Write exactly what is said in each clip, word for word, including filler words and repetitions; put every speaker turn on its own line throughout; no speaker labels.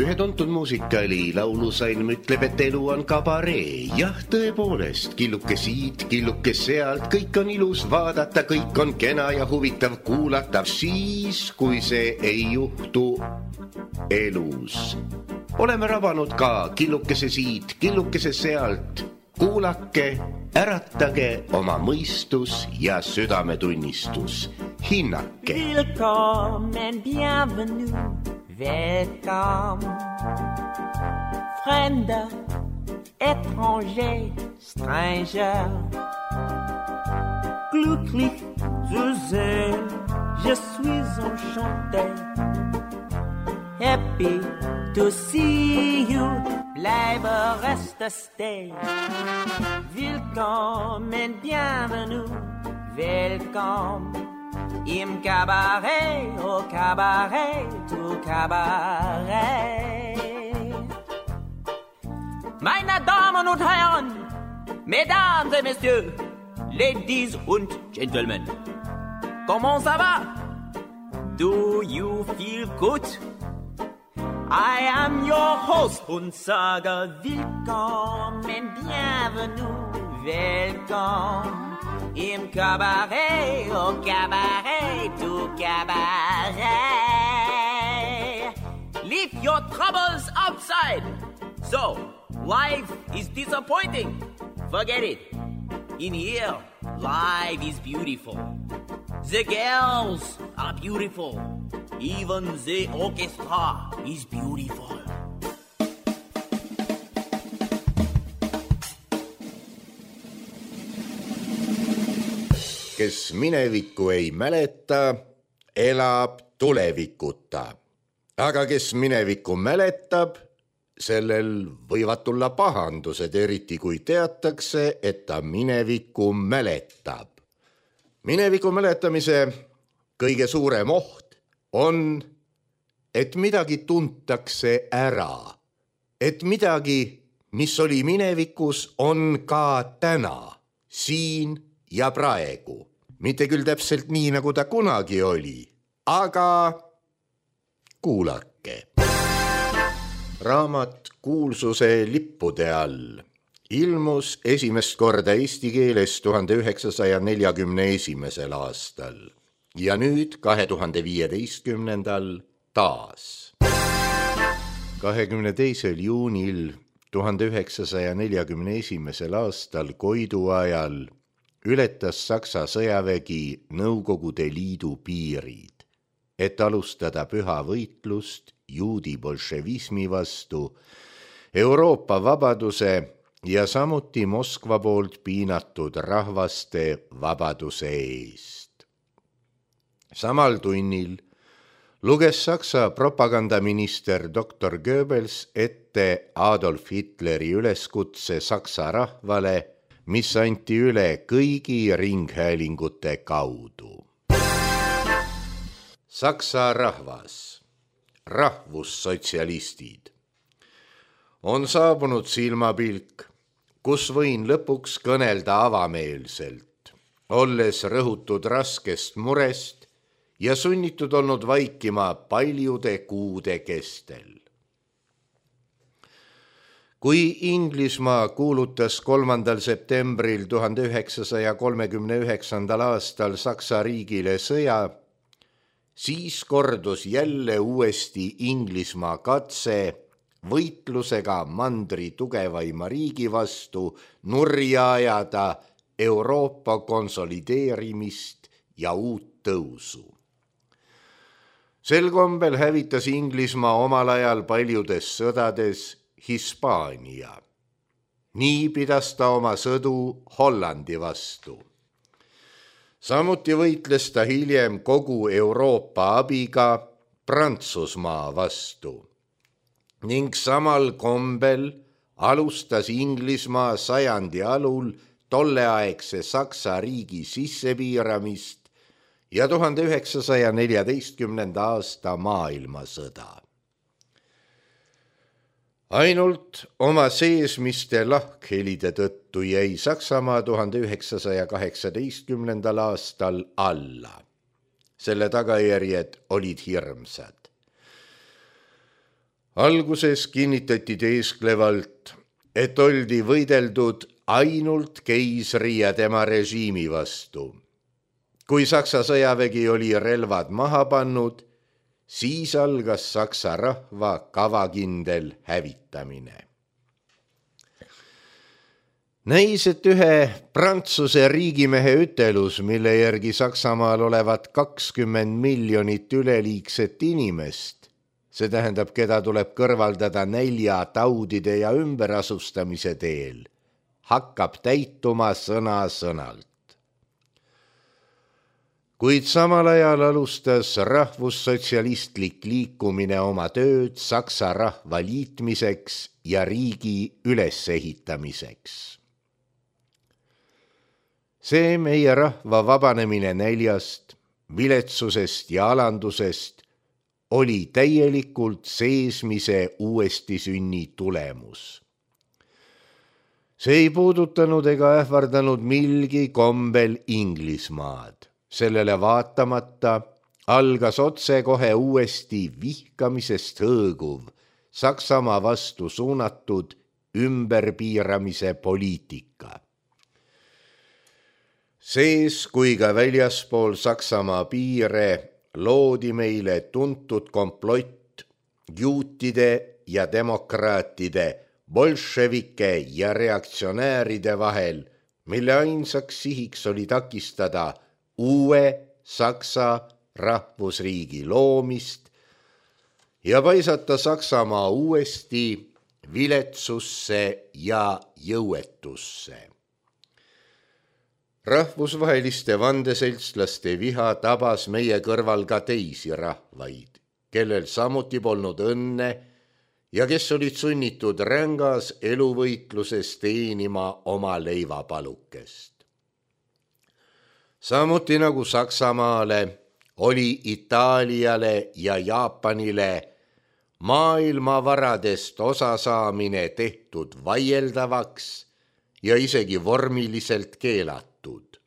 Ühe tuntud muusikali laulusalm ütleb, et elu on kabaree. Jah, tõepoolest, killuke siit, killuke sealt, kõik on ilus vaadata, kõik on kena ja huvitav kuulata, siis, kui see ei juhtu elus. Oleme rabanud ka killukese siit, killukese sealt. Kuulake, äratage oma mõistus ja südametunnistus. Hinnake.
Willkommen, bienvenue, welcome. Fremde, étranger, stranger. Glücklich zu sehen, je suis enchanté. Happy to see you, bleibe reste stay. Willkommen, bienvenue, welcome. Im Cabaret, au Cabaret, au Cabaret. Meine Damen und Herren, Mesdames et Messieurs, Ladies und Gentlemen, comment ça va? Do you feel good? I am your host und sage willkommen, bienvenue, welcome. Im Cabaret, au Cabaret, au Cabaret. Leave your troubles outside. So, life is disappointing. Forget it. In here, life is beautiful. The girls are beautiful. Even the orchestra is beautiful.
Kes minevikku ei mäleta, elab tulevikuta. Aga kes minevikku mäletab, sellel võivad tulla pahandused, eriti kui teatakse, et ta minevikku mäletab. Mineviku mäletamise kõige suurem oht on, et midagi tuntakse ära. Et midagi, mis oli minevikus, on ka täna, siin ja praegu. Mitte küll täpselt nii, nagu ta kunagi oli, aga kuulake. Raamat Kuulsuse lippude all ilmus esimest korda eesti keeles tuhande üheksasaja neljakümne esimesel aastal ja nüüd kahe tuhande viieteistkümnendal taas. kahekümne teisel juunil tuhande üheksasaja neljakümne esimesel aastal Koidu ajal ületas Saksa sõjavägi Nõukogude Liidu piirid, et alustada püha võitlust juudi bolševismi vastu, Euroopa vabaduse ja samuti Moskva poolt piinatud rahvaste vabaduse eest. Samal tunnil luges Saksa propagandaminister doktor Goebbels ette Adolf Hitleri üleskutse Saksa rahvale, mis anti üle kõigi ringhäälingute kaudu. Saksa rahvas, rahvussotsialistid, on saabunud silmapilk, kus võin lõpuks kõnelda avameelselt, olles rõhutud raskest murest ja sunnitud olnud vaikima paljude kuude kestel. Kui Inglismaa kuulutas kolmandal septembril tuhande üheksasaja kolmekümne üheksandal aastal Saksa riigile sõja, siis kordus jälle uuesti Inglismaa katse võitlusega mandri tugevaima riigi vastu nurja ajada Euroopa konsolideerimist ja uut tõusu. Sel kombel hävitas Inglismaa omal ajal paljudes sõdades Hispaania. Nii pidas ta oma sõdu Hollandi vastu. Samuti võitles ta hiljem kogu Euroopa abiga Prantsusmaa vastu. Ning samal kombel alustas Inglismaa sajandi alul tolleaegse Saksa riigi sissepiiramist ja tuhande üheksasaja neljateistkümnenda aasta maailmasõda. Ainult oma seesmiste lahkhelide tõttu jäi Saksamaa tuhande üheksasaja kaheksateistkümnendal aastal alla. Selle tagajärjed olid hirmsad. Alguses kinnitati teesklevalt, et oldi võideldud ainult keisri ja tema režiimi vastu. Kui Saksa sõjavägi oli relvad maha pannud, siis algas Saksa rahva kavakindel hävitamine. Näis, et ühe Prantsuse riigimehe ütelus, mille järgi Saksamaal olevat kakskümmend miljonit üleliigset inimest, see tähendab, keda tuleb kõrvaldada nälja, taudide ja ümberasustamise teel, hakkab täituma sõna sõnalt. Kuid samal ajal alustas rahvussotsialistlik liikumine oma tööd Saksa rahva liitmiseks ja riigi ülesehitamiseks. See meie rahva vabanemine näljast, viletsusest ja alandusest oli täielikult seesmise uuesti sünni tulemus. See ei puudutanud ega ähvardanud milgi kombel Inglismaad. Sellele vaatamata algas otsekohe uuesti vihkamisest hõõguv Saksamaa vastu suunatud ümberpiiramise poliitika. Sees kui ka väljaspool Saksamaa piire loodi meile tuntud komplott juutide ja demokraatide, bolševike ja reaktsionääride vahel, mille ainsaks sihiks oli takistada uue Saksa rahvusriigi loomist ja paisata Saksamaa uuesti viletsusse ja jõuetusse. Rahvusvaheliste vandeseltslaste viha tabas meie kõrval ka teisi rahvaid, kellel samuti polnud õnne ja kes olid sunnitud rängas eluvõitluses teenima oma leivapalukest. Samuti nagu Saksamaale oli Itaaliale ja Jaapanile maailmavaradest osasaamine tehtud vaieldavaks ja isegi vormiliselt keelatud.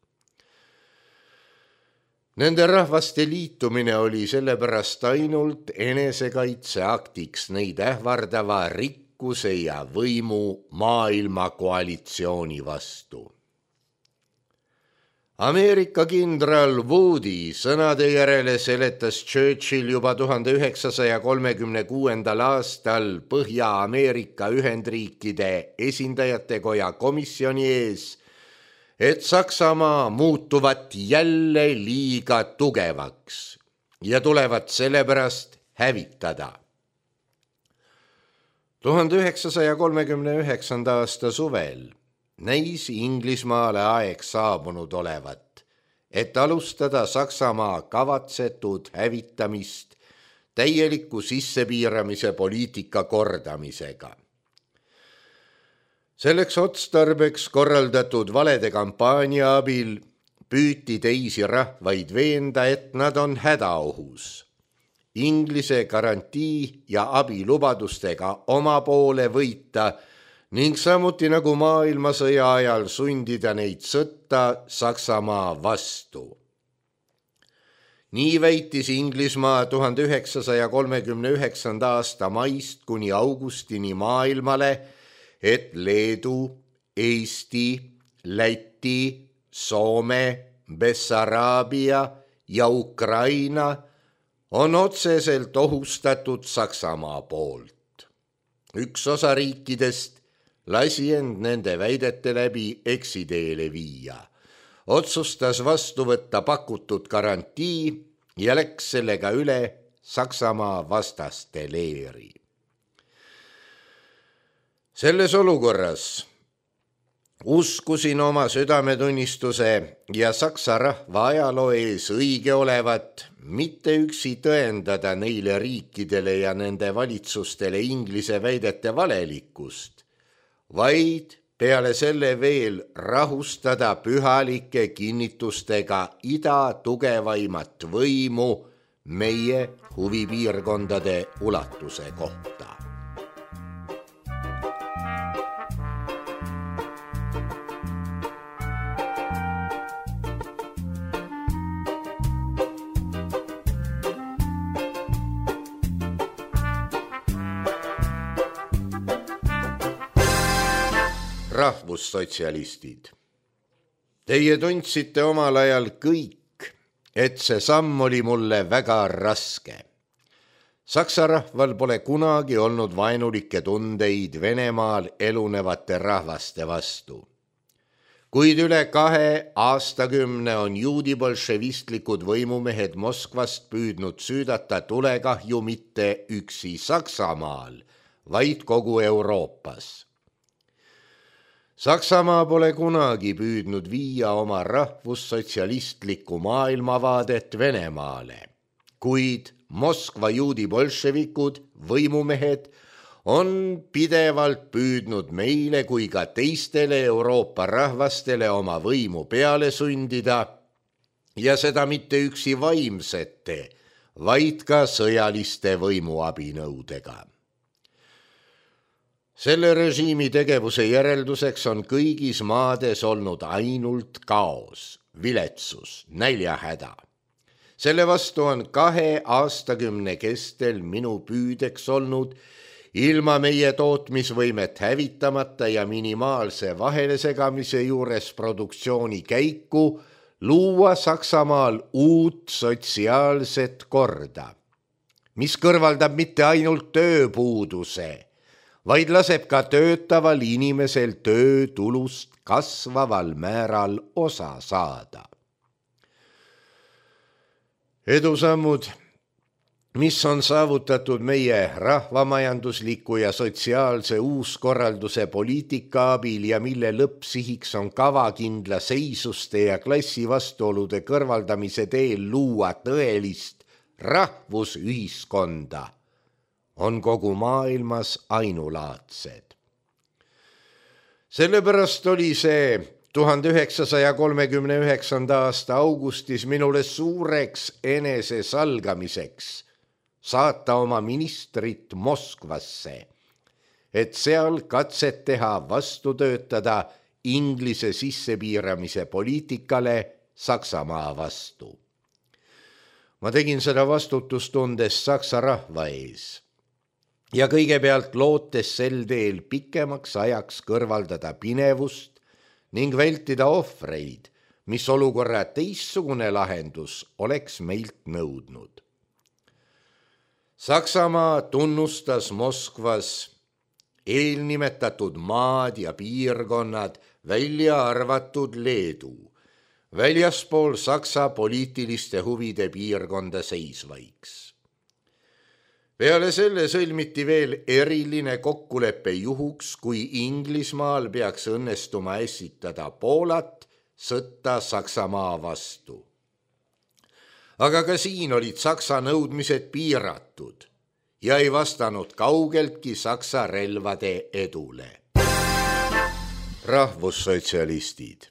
Nende rahvaste liitumine oli sellepärast ainult enesekaitseaktiks neid ähvardava rikkuse ja võimu maailma koalitsiooni vastu. Ameerika kindral Woody sõnade järele seletas Churchill juba tuhande üheksasaja kolmekümne kuuendal aastal Põhja-Ameerika Ühendriikide esindajate koja komisjoni ees, et Saksamaa muutuvat jälle liiga tugevaks ja tulevat sellepärast hävitada. tuhande üheksasaja kolmekümne üheksanda aasta suvel näis Inglismaale aeg saabunud olevat, et alustada Saksamaa kavatsetud hävitamist täieliku sissepiiramise poliitika kordamisega. Selleks otstarbeks korraldatud valede kampaania abil püüti teisi rahvaid veenda, et nad on hädaohus. Inglise garantii ja abilubadustega oma poole võita ning samuti nagu maailmasõja ajal sundida neid sõtta Saksamaa vastu. Nii väitis Inglismaa tuhande üheksasaja kolmekümne üheksanda aasta maist kuni augustini maailmale, et Leedu, Eesti, Läti, Soome, Bessaraabia ja Ukraina on otseselt ohustatud Saksamaa poolt. Üks osa riikidest lasi end nende väidete läbi eksiteele viia, otsustas vastu võtta pakutud garantii ja läks sellega üle Saksamaa vastaste leeri. Selles olukorras uskusin oma südametunnistuse ja Saksa rahva ajaloo ees õige olevat mitte üksi tõendada neile riikidele ja nende valitsustele Inglise väidete valelikkust, vaid peale selle veel rahustada pühalike kinnitustega ida tugevaimat võimu meie huvipiirkondade ulatuse kohta. rahvussotsialistid. Teie tundsite omal ajal kõik, et see samm oli mulle väga raske. Saksa rahval pole kunagi olnud vaenulikke tundeid Venemaal elunevate rahvaste vastu. Kuid üle kahe aastakümne on juudibolševistlikud võimumehed Moskvast püüdnud süüdata tulekahju mitte üksi Saksamaal, vaid kogu Euroopas. Saksamaa pole kunagi püüdnud viia oma rahvussotsialistlikku maailmavaadet Venemaale, kuid Moskva juudibolševikud, võimumehed, on pidevalt püüdnud meile kui ka teistele Euroopa rahvastele oma võimu peale sundida ja seda mitte üksi vaimsete, vaid ka sõjaliste võimuabinõudega. Selle režiimi tegevuse järelduseks on kõigis maades olnud ainult kaos, viletsus, näljahäda. Selle vastu on kahe aastakümne kestel minu püüdeks olnud ilma meie tootmisvõimet hävitamata ja minimaalse vahelesegamise juures produktsiooni käiku luua Saksamaal uut sotsiaalset korda, mis kõrvaldab mitte ainult tööpuuduse, vaid laseb ka töötaval inimesel töötulust kasvaval määral osa saada. Edusammud, mis on saavutatud meie rahvamajandusliku ja sotsiaalse uuskorralduse poliitika abil ja mille lõppsihiks on kavakindla seisuste ja klassivastuolude kõrvaldamise teel luua tõelist rahvusühiskonda, on kogu maailmas ainulaadsed. Sellepärast oli see tuhande üheksasaja kolmekümne üheksanda aasta augustis minule suureks enese salgamiseks saata oma ministrit Moskvasse, et seal katset teha vastu töötada Inglise sissepiiramise poliitikale Saksamaa vastu. Ma tegin seda vastutustundes Saksa rahva ees ja kõigepealt lootes sel teel pikemaks ajaks kõrvaldada pinevust ning vältida ohvreid, mis olukorra teistsugune lahendus oleks meilt nõudnud. Saksamaa tunnustas Moskvas eelnimetatud maad ja piirkonnad, välja arvatud Leedu, väljaspool Saksa poliitiliste huvide piirkonda seisvaiks. Peale selle sõlmiti veel eriline kokkulepe juhuks, kui Inglismaal peaks õnnestuma esitada Poolat sõtta Saksamaa vastu. Aga ka siin olid Saksa nõudmised piiratud ja ei vastanud kaugeltki Saksa relvade edule. Rahvussotsialistid.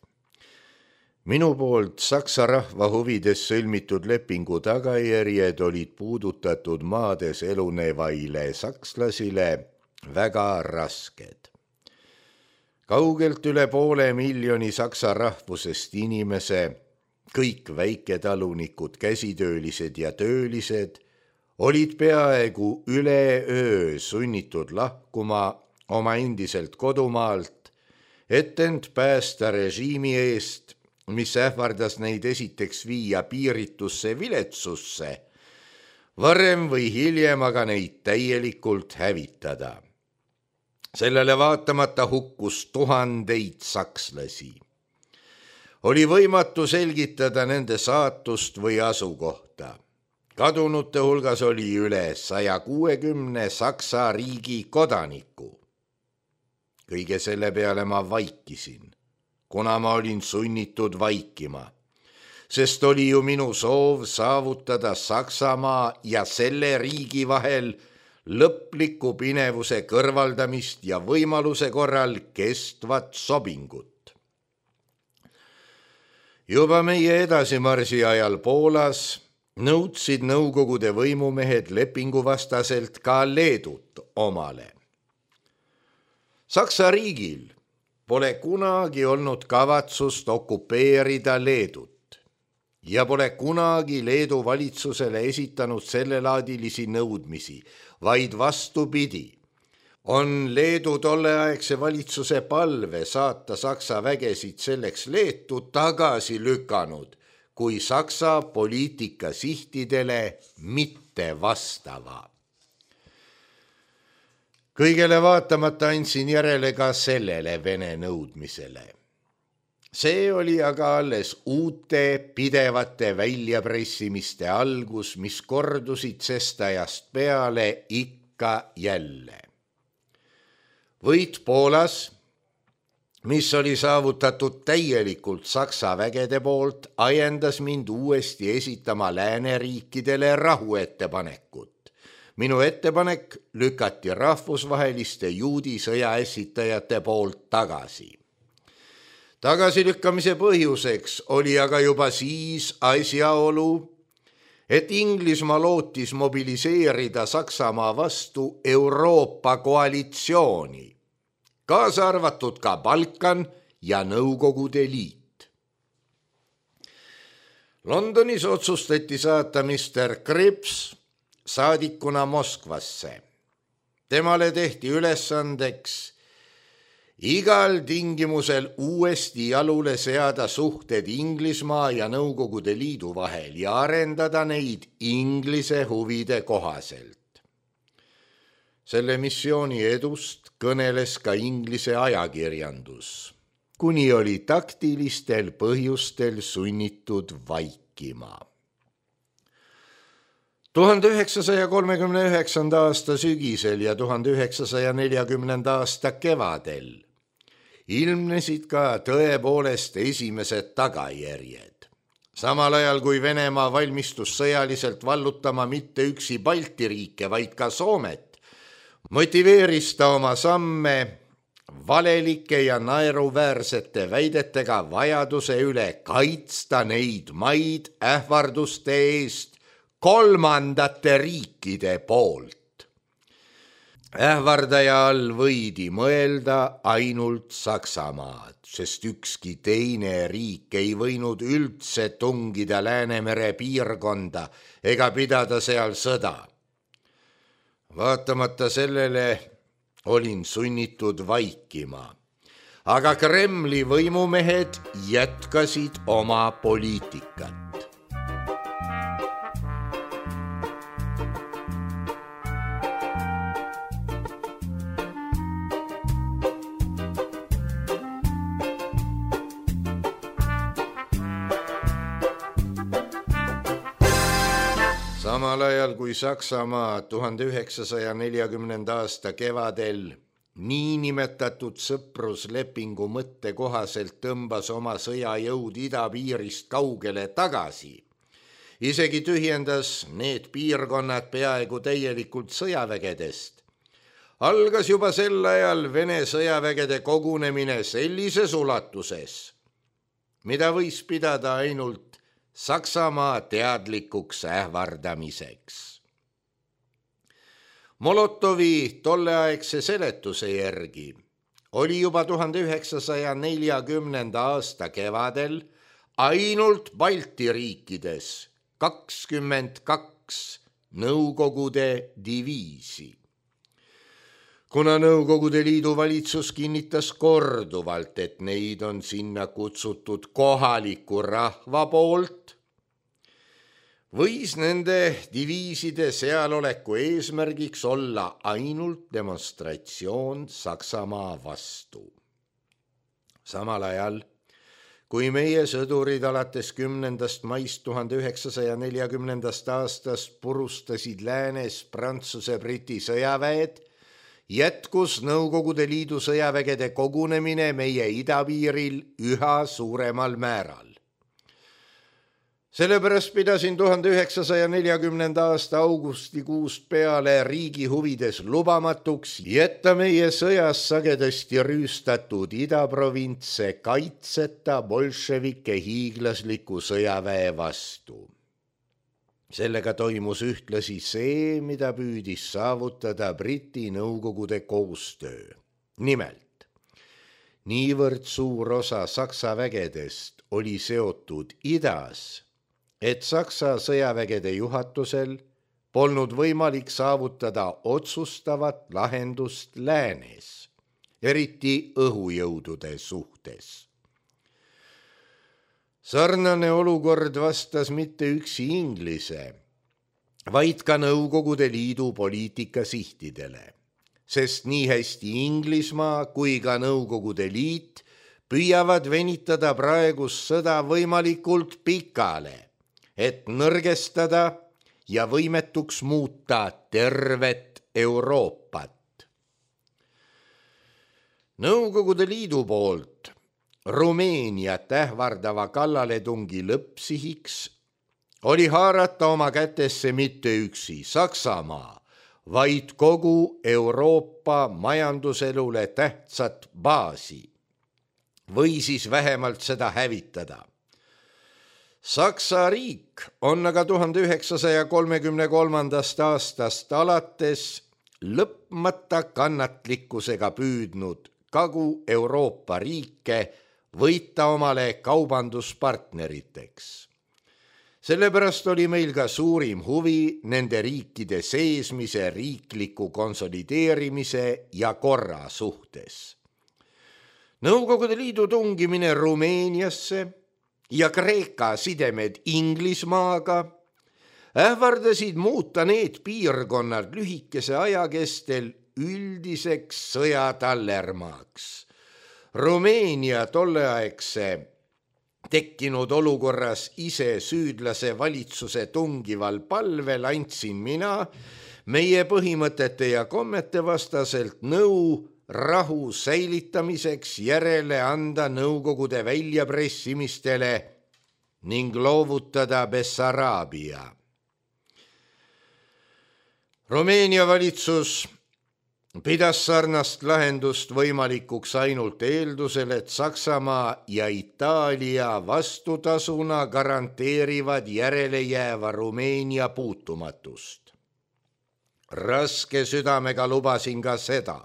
Minu poolt Saksa rahva huvides sõlmitud lepingu tagajärjed olid puudutatud maades elunevaile sakslasile väga rasked. Kaugelt üle poole miljoni saksa rahvusest inimese, kõik väiketalunikud, käsitöölised ja töölised, olid peaaegu üleöö sunnitud lahkuma oma endiselt kodumaalt, et end päästa režiimi eest, mis ähvardas neid esiteks viia piiritusse viletsusse, varem või hiljem aga neid täielikult hävitada. Sellele vaatamata hukkus tuhandeid sakslasi. Oli võimatu selgitada nende saatust või asukohta. Kadunute hulgas oli üle saja kuuekümne Saksa riigi kodaniku. Kõige selle peale ma vaikisin, kuna ma olin sunnitud vaikima, sest oli ju minu soov saavutada Saksamaa ja selle riigi vahel lõpliku pinevuse kõrvaldamist ja võimaluse korral kestvat sobingut. Juba meie edasimarsi ajal Poolas nõudsid Nõukogude võimumehed lepinguvastaselt ka Leedut omale. Saksa riigil pole kunagi olnud kavatsust okupeerida Leedut ja pole kunagi Leedu valitsusele esitanud sellelaadilisi nõudmisi, vaid vastupidi,
on Leedu tolleaegse valitsuse palve saata Saksa vägesid selleks Leetu tagasi lükanud, kui Saksa poliitika sihtidele mitte vastava. Kõigele vaatamata andsin järele ka sellele Vene nõudmisele. See oli aga alles uute pidevate väljapressimiste algus, mis kordusid sestajast peale ikka jälle. Võit Poolas, mis oli saavutatud täielikult Saksa vägede poolt, ajendas mind uuesti esitama lääneriikidele rahuettepanekut. Minu ettepanek lükati rahvusvaheliste juudi sõjaesitajate poolt tagasi. Tagasilükkamise põhjuseks oli aga juba siis asjaolu, et Inglismaa lootis mobiliseerida Saksamaa vastu Euroopa koalitsiooni, kaasa arvatud ka Balkan ja Nõukogude Liit. Londonis otsustati saata mister Krips saadikuna Moskvasse. Temale tehti ülesandeks igal tingimusel uuesti jalule seada suhted Inglismaa ja Nõukogude Liidu vahel ja arendada neid Inglise huvide kohaselt. Selle missiooni edust kõneles ka Inglise ajakirjandus, kuni oli taktilistel põhjustel sunnitud vaikima. tuhande üheksasaja kolmekümne üheksanda aasta sügisel ja tuhande üheksasaja neljakümnenda aasta kevadel ilmnesid ka tõepoolest esimesed tagajärjed. Samal ajal kui Venemaa valmistus sõjaliselt vallutama mitte üksi Balti riike, vaid ka Soomet, motiveeris ta oma samme valelike ja naeruväärsete väidetega vajaduse üle kaitsta neid maid ähvarduste eest kolmandate riikide poolt. Ähvardaja all võidi mõelda ainult Saksamaad, sest ükski teine riik ei võinud üldse tungida Läänemere piirkonda ega pidada seal sõda. Vaatamata sellele olin sunnitud vaikima, aga Kremli võimumehed jätkasid oma poliitikat. Samal ajal kui Saksamaa tuhande üheksasaja neljakümnenda aasta kevadel niinimetatud sõpruslepingu mõtte kohaselt tõmbas oma sõjajõud idapiirist kaugele tagasi, isegi tühjendas need piirkonnad peaaegu täielikult sõjavägedest, algas juba sel ajal Vene sõjavägede kogunemine sellises ulatuses, mida võis pidada ainult Saksamaa teadlikuks ähvardamiseks. Molotovi tolleaegse seletuse järgi oli juba tuhande üheksasaja neljakümnenda aasta kevadel ainult Balti riikides kakskümmend kaks Nõukogude diviisi. Kuna Nõukogude Liidu valitsus kinnitas korduvalt, et neid on sinna kutsutud kohaliku rahva poolt, võis nende diviiside sealoleku eesmärgiks olla ainult demonstratsioon Saksamaa vastu. Samal ajal, kui meie sõdurid alates kümnendast maist tuhande üheksasaja neljakümnendast aastast purustasid läänes Prantsuse-Briti sõjaväed, jätkus Nõukogude Liidu sõjavägede kogunemine meie idapiiril üha suuremal määral. Sellepärast pidasin tuhande üheksasaja neljakümnenda aasta augustikuust peale riigi huvides lubamatuks jätta meie sõjas sagedasti rüüstatud idaprovintse kaitseta bolševike hiiglasliku sõjaväe vastu. Sellega toimus ühtlasi see, mida püüdis saavutada Briti Nõukogude koostöö. Nimelt, niivõrd suur osa Saksa vägedest oli seotud idas, et Saksa sõjavägede juhatusel polnud võimalik saavutada otsustavat lahendust läänes, eriti õhujõudude suhtes. Sarnane olukord vastas mitte üksi Inglise, vaid ka Nõukogude Liidu poliitika sihtidele, sest nii hästi Inglismaa kui ka Nõukogude Liit püüavad venitada praegust sõda võimalikult pikale, et nõrgestada ja võimetuks muuta tervet Euroopat. Nõukogude Liidu poolt Rumeeniat ähvardava kallaletungi lõppsihiks oli haarata oma kätesse mitte üksi Saksamaa, vaid kogu Euroopa majanduselule tähtsat baasi või siis vähemalt seda hävitada. Saksa riik on aga tuhande üheksasaja kolmekümne kolmandast aastast alates lõpmata kannatlikkusega püüdnud Kagu-Euroopa riike võita omale kaubanduspartneriteks. Sellepärast oli meil ka suurim huvi nende riikide seesmise riikliku konsolideerimise ja korra suhtes. Nõukogude Liidu tungimine Rumeeniasse ja Kreeka sidemed Inglismaaga ähvardasid muuta need piirkonnad lühikese aja kestel üldiseks sõjatallermaaks. Rumeenia tolleaegse tekkinud olukorras ise süüdlase valitsuse tungival palvel andsin mina meie põhimõtete ja kommete vastaselt nõu rahu säilitamiseks järele anda Nõukogude väljapressimistele ning loovutada Bessaraabia. Rumeenia valitsus pidas sarnast lahendust võimalikuks ainult eeldusel, et Saksamaa ja Itaalia vastutasuna garanteerivad järelejääva Rumeenia puutumatust. Raske südamega lubasin ka seda.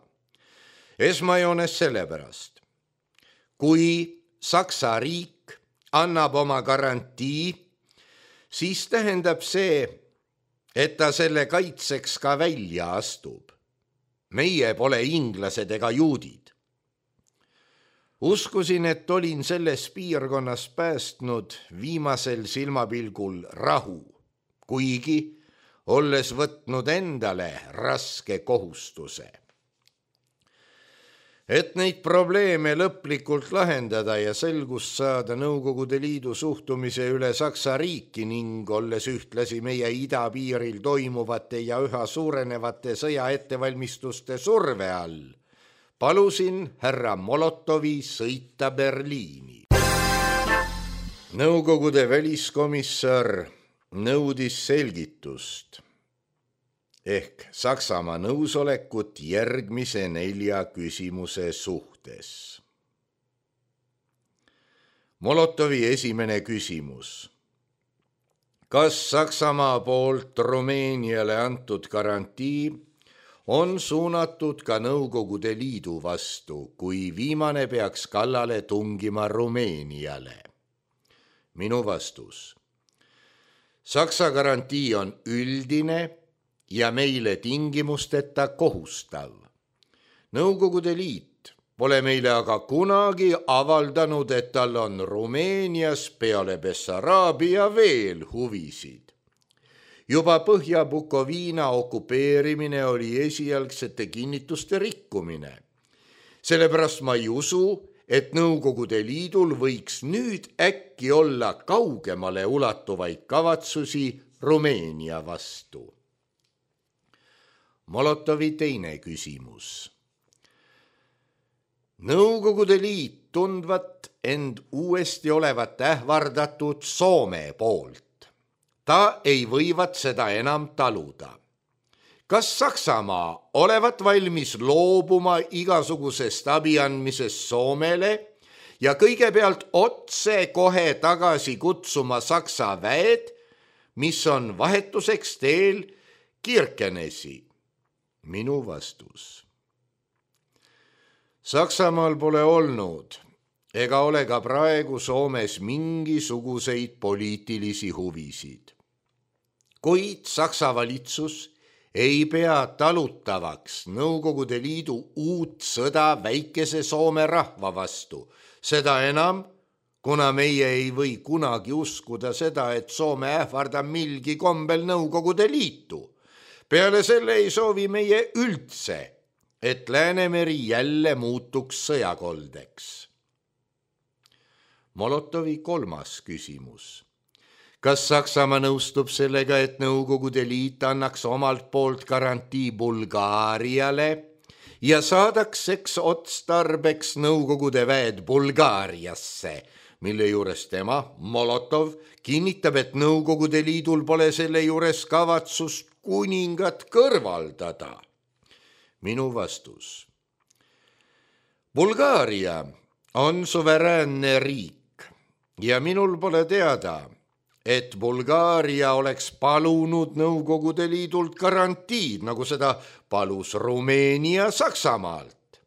Esmajoones sellepärast, kui Saksa riik annab oma garantii, siis tähendab see, et ta selle kaitseks ka välja astub. Meie pole inglased ega juudid. Uskusin, et olin selles piirkonnas päästnud viimasel silmapilgul rahu, kuigi olles võtnud endale raske kohustuse. Et neid probleeme lõplikult lahendada ja selgust saada Nõukogude Liidu suhtumise üle Saksa riiki ning olles ühtlasi meie idapiiril toimuvate ja üha suurenevate sõja ettevalmistuste surve all, palusin härra Molotovi sõita Berliini. Nõukogude väliskomissar nõudis selgitust ehk Saksamaa nõusolekut järgmise nelja küsimuse suhtes. Molotovi esimene küsimus. Kas Saksamaa poolt Rumeeniale antud garantii on suunatud ka Nõukogude Liidu vastu, kui viimane peaks kallale tungima Rumeeniale? Minu vastus. Saksa garantii on üldine ja meile tingimusteta kohustav. Nõukogude Liit pole meile aga kunagi avaldanud, et tal on Rumeenias peale Bessaraabia veel huvisid. Juba Põhja-Bukoviina okupeerimine oli esialgsete kinnituste rikkumine. Sellepärast ma ei usu, et Nõukogude Liidul võiks nüüd äkki olla kaugemale ulatuvaid kavatsusi Rumeenia vastu. Molotovi teine küsimus. Nõukogude Liit tundvat end uuesti olevat ähvardatud Soome poolt. Ta ei võivat seda enam taluda. Kas Saksamaa olevat valmis loobuma igasugusest abi andmisest Soomele ja kõigepealt otse kohe tagasi kutsuma Saksa väed, mis on vahetuseks teel Kirkenesi? Minu vastus. Saksamaal pole olnud ega ole ka praegu Soomes mingisuguseid poliitilisi huvisid. kuid Saksa valitsus ei pea talutavaks Nõukogude Liidu uut sõda väikese Soome rahva vastu, seda enam, kuna meie ei või kunagi uskuda seda, et Soome ähvardab milgi kombel Nõukogude Liitu. Peale selle ei soovi meie üldse, et Läänemeri jälle muutuks sõjakoldeks. Molotovi kolmas küsimus. Kas Saksamaa nõustub sellega, et Nõukogude Liit annaks omalt poolt garantii Bulgaariale ja saadakseks otstarbeks Nõukogude väed Bulgaariasse, mille juures tema, Molotov, kinnitab, et Nõukogude Liidul pole selle juures kavatsust kuningat kõrvaldada? Minu vastus. Bulgaaria on suveräänne riik ja minul pole teada, et Bulgaaria oleks palunud Nõukogude Liidult garantiid, nagu seda palus Rumeenia Saksamaalt.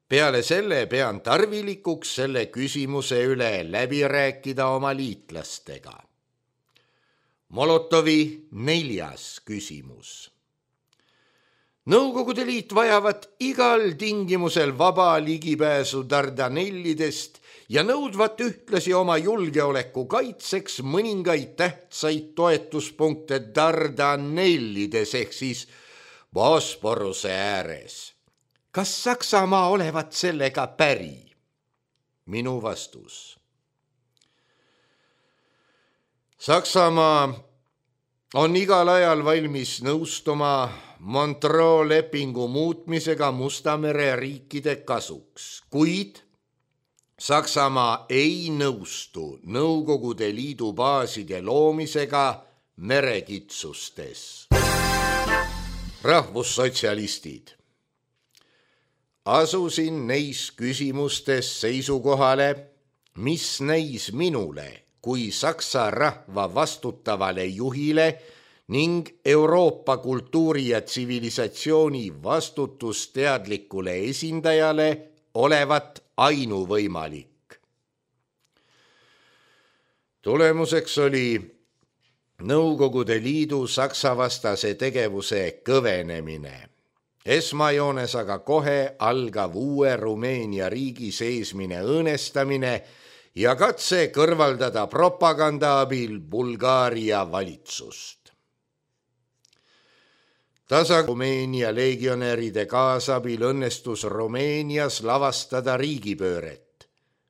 Peale selle pean tarvilikuks selle küsimuse üle läbi rääkida oma liitlastega. Molotovi neljas küsimus. Nõukogude Liit vajavat igal tingimusel vaba ligipääsu Dardanellidest ja nõudvat ühtlasi oma julgeoleku kaitseks mõningaid tähtsaid toetuspunkte Dardanellides ehk siis Bosporuse ääres. Kas Saksamaa olevat sellega päri? Minu vastus. Saksamaa on igal ajal valmis nõustuma Montreux lepingu muutmisega Musta mere riikide kasuks, kuid Saksamaa ei nõustu Nõukogude Liidu baaside loomisega merekitsustes. Rahvussotsialistid. Asusin neis küsimustes seisukohale, mis näis minule kui Saksa rahva vastutavale juhile ning Euroopa kultuuri ja tsivilisatsiooni vastutusteadlikule esindajale olevat ainuvõimalik. Tulemuseks oli Nõukogude Liidu Saksa-vastase tegevuse kõvenemine. Esmajoones aga kohe algav uue Rumeenia riigi seesmine õõnestamine ja katse kõrvaldada propaganda abil Bulgaaria valitsust. Tasa Rumeenia legionäride kaasabil õnnestus Rumeenias lavastada riigipööret,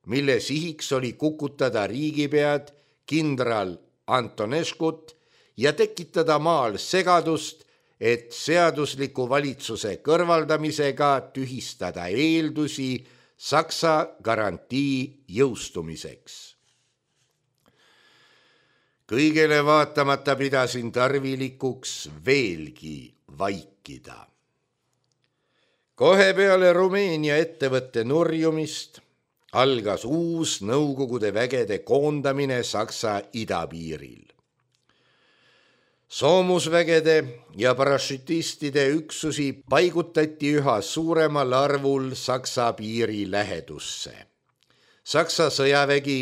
mille sihiks oli kukutada riigipead kindral Antoneskut ja tekitada maal segadust, et seadusliku valitsuse kõrvaldamisega tühistada eeldusi Saksa garantii jõustumiseks. Kõigele vaatamata pidasin tarvilikuks veelgi vaikida. Kohe peale Rumeenia ettevõtte nurjumist algas uus Nõukogude vägede koondamine Saksa idapiiril. Soomusvägede ja parašütistide üksusi paigutati üha suuremal arvul Saksa piiri lähedusse. Saksa sõjavägi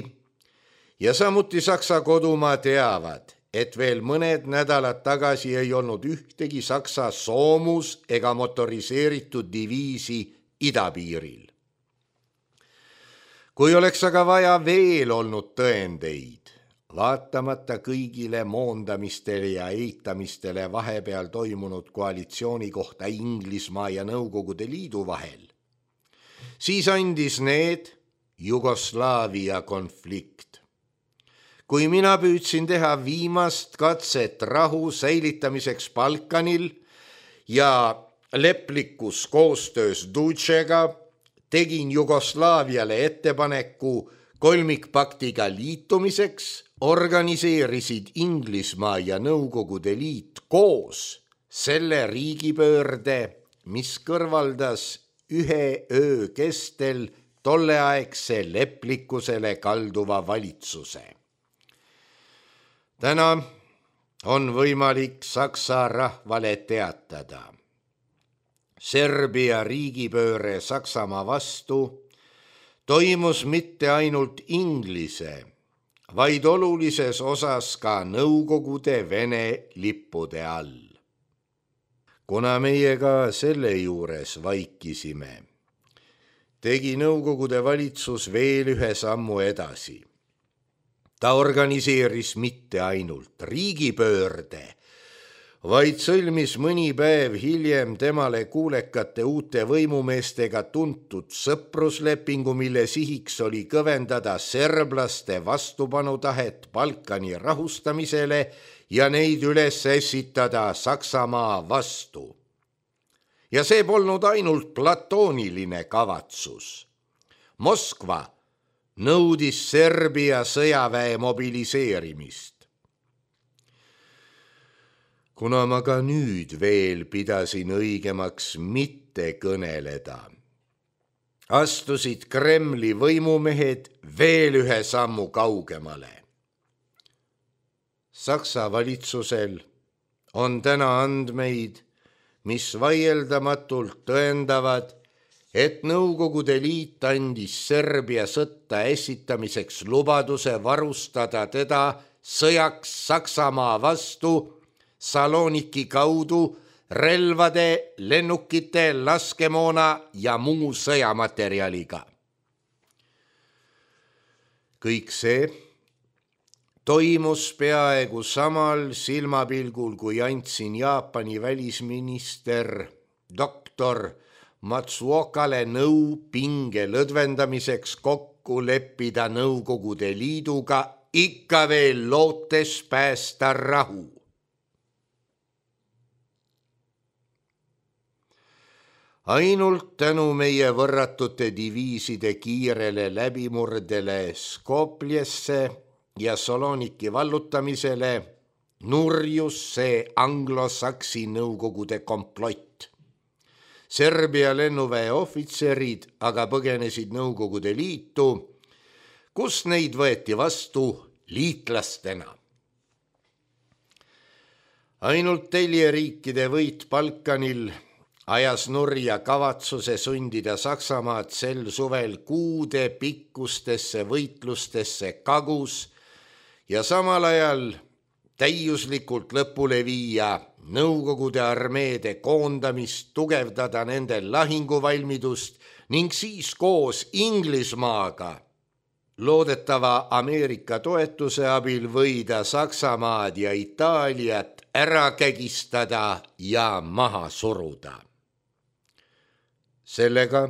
ja samuti Saksa kodumaa teavad, et veel mõned nädalad tagasi ei olnud ühtegi Saksa soomus- ega motoriseeritud diviisi idapiiril. Kui oleks aga vaja veel olnud tõendeid, vaatamata kõigile moondamistele ja eitamistele vahepeal toimunud koalitsiooni kohta Inglismaa ja Nõukogude Liidu vahel, siis andis need Jugoslaavia konflikt. Kui mina püüdsin teha viimast katset rahu säilitamiseks Balkanil ja leplikus koostöös Dutšega, tegin Jugoslaaviale ettepaneku kolmikpaktiga liitumiseks, organiseerisid Inglismaa ja Nõukogude Liit koos selle riigipöörde, mis kõrvaldas ühe öö kestel tolleaegse leplikkusele kalduva valitsuse. Täna on võimalik Saksa rahvale teatada. Serbia riigipööre Saksamaa vastu toimus mitte ainult Inglise, vaid olulises osas ka Nõukogude Vene lippude all. Kuna meie ka selle juures vaikisime, tegi Nõukogude valitsus veel ühe sammu edasi. Ta organiseeris mitte ainult riigipöörde, vaid sõlmis mõni päev hiljem temale kuulekate uute võimumeestega tuntud sõpruslepingu, mille sihiks oli kõvendada serblaste vastupanutahet Balkani rahustamisele ja neid üles ässitada Saksamaa vastu. Ja see polnud ainult platooniline kavatsus. Moskva nõudis Serbia sõjaväe mobiliseerimist. Kuna ma ka nüüd veel pidasin õigemaks mitte kõneleda, astusid Kremli võimumehed veel ühe sammu kaugemale. Saksa valitsusel on täna andmeid, mis vaieldamatult tõendavad, et Nõukogude Liit andis Serbia sõtta esitamiseks lubaduse varustada teda sõjaks Saksamaa vastu Saloniki kaudu relvade, lennukite, laskemoona ja muu sõjamaterjaliga. Kõik see toimus peaaegu samal silmapilgul, kui andsin Jaapani välisminister doktor Matsuokale nõu pinge lõdvendamiseks kokku leppida Nõukogude Liiduga, ikka veel lootes päästa rahu. Ainult tänu meie võrratute diviiside kiirele läbimurdele Skopjesse ja Saloniki vallutamisele nurjus see anglosaksi Nõukogude komplott. Serbia lennuväe ohvitserid aga põgenesid Nõukogude Liitu, kus neid võeti vastu liitlastena. Ainult teljeriikide võit Balkanil ajas nurja kavatsuse sundida Saksamaad sel suvel kuude pikkustesse võitlustesse Kagus ja samal ajal täiuslikult lõpule viia Nõukogude armeede koondamist, tugevdada nende lahinguvalmidust ning siis koos Inglismaaga loodetava Ameerika toetuse abil võida Saksamaad ja Itaaliat ära kägistada ja maha suruda. Sellega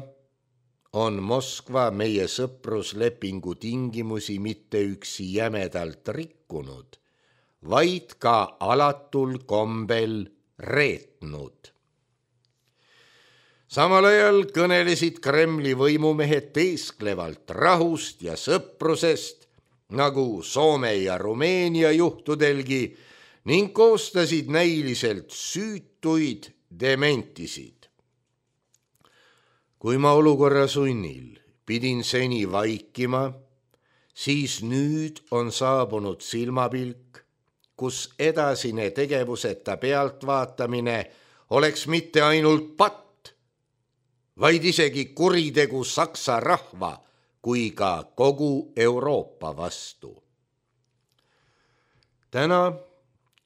on Moskva meie sõpruslepingu tingimusi mitte üksi jämedalt rikkunud, vaid ka alatul kombel reetnud. Samal ajal kõnelesid Kremli võimumehed teesklevalt rahust ja sõprusest, nagu Soome ja Rumeenia juhtudelgi, ning koostasid näiliselt süütuid dementisid. Kui ma olukorra sunnil pidin seni vaikima, siis nüüd on saabunud silmapilk, kus edasine tegevuseta pealtvaatamine oleks mitte ainult patt, vaid isegi kuritegu Saksa rahva kui ka kogu Euroopa vastu. Täna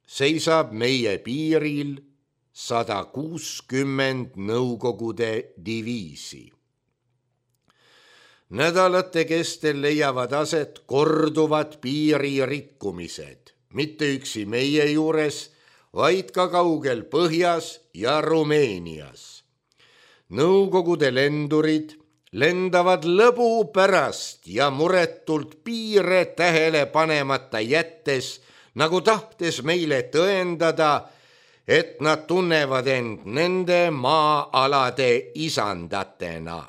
seisab meie piiril sada kuuskümmend Nõukogude diviisi. Nädalate kestel leiavad aset korduvad piiririkkumised, mitte üksi meie juures, vaid ka kaugel Põhjas ja Rumeenias. Nõukogude lendurid lendavad lõbu pärast ja muretult piire tähele panemata jättes, nagu tahtes meile tõendada, et nad tunnevad end nende maa-alade isandatena.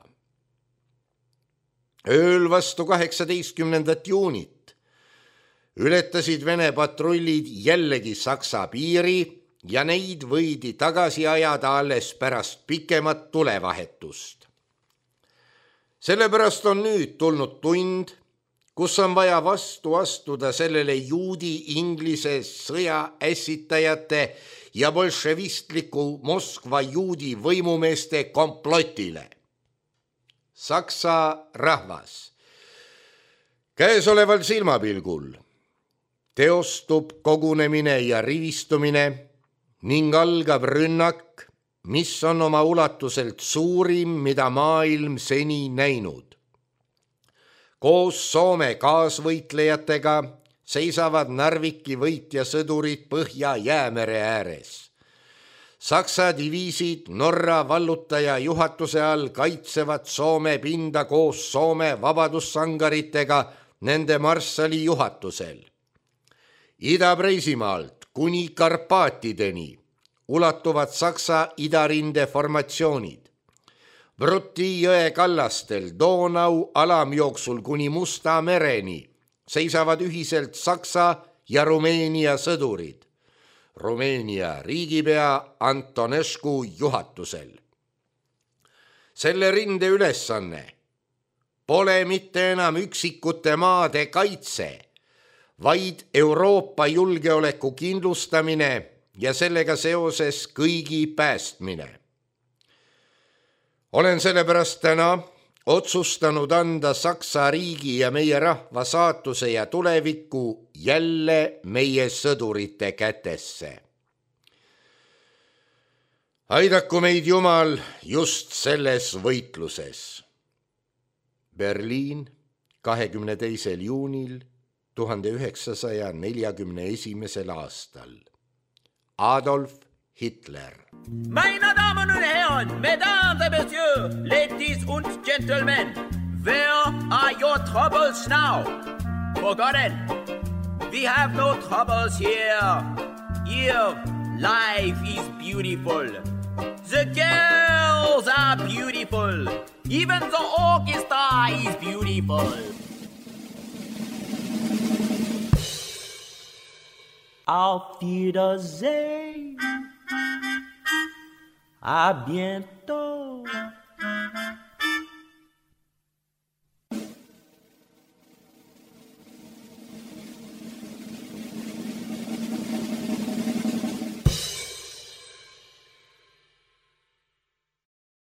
Ööl vastu kaheksateistkümnendat juunit ületasid Vene patrullid jällegi Saksa piiri ja neid võidi tagasi ajada alles pärast pikemat tulevahetust. Sellepärast on nüüd tulnud tund, kus on vaja vastu astuda sellele juudi-inglise sõja ässitajate ja bolševistliku Moskva juudi võimumeeste komplotile. Saksa rahvas, Käesoleval silmapilgul teostub kogunemine ja rivistumine ning algab rünnak, mis on oma ulatuselt suurim, mida maailm seni näinud. Koos Soome kaasvõitlejatega seisavad Narviki võitjasõdurid Põhja-Jäämere ääres. Saksa diviisid Norra vallutaja juhatuse all kaitsevad Soome pinda koos Soome vabadussangaritega nende marssali juhatusel. Ida-Preisimaalt kuni Karpaatideni ulatuvad Saksa idarinde formatsioonid. Bruti jõe kallastel Donau alamjooksul kuni Musta mereni seisavad ühiselt Saksa ja Rumeenia sõdurid. Rumeenia riigipea Antonescu juhatusel. Selle rinde ülesanne pole mitte enam üksikute maade kaitse, vaid Euroopa julgeoleku kindlustamine ja sellega seoses kõigi päästmine. Olen sellepärast täna otsustanud anda Saksa riigi ja meie rahva saatuse ja tuleviku jälle meie sõdurite kätesse. Aidaku meid Jumal just selles võitluses. Berliin, kahekümne teisel juunil tuhande üheksasaja neljakümne esimesel aastal. Adolf Hitler.
Meine Damen und Herren, Mesdames et Messieurs, ladies und Gentlemen, where are your troubles now? Forgotten. We have no troubles here. Here, life is beautiful. The girls are beautiful. Even the orchestra is beautiful. Auf Wiedersehen. À bientôt.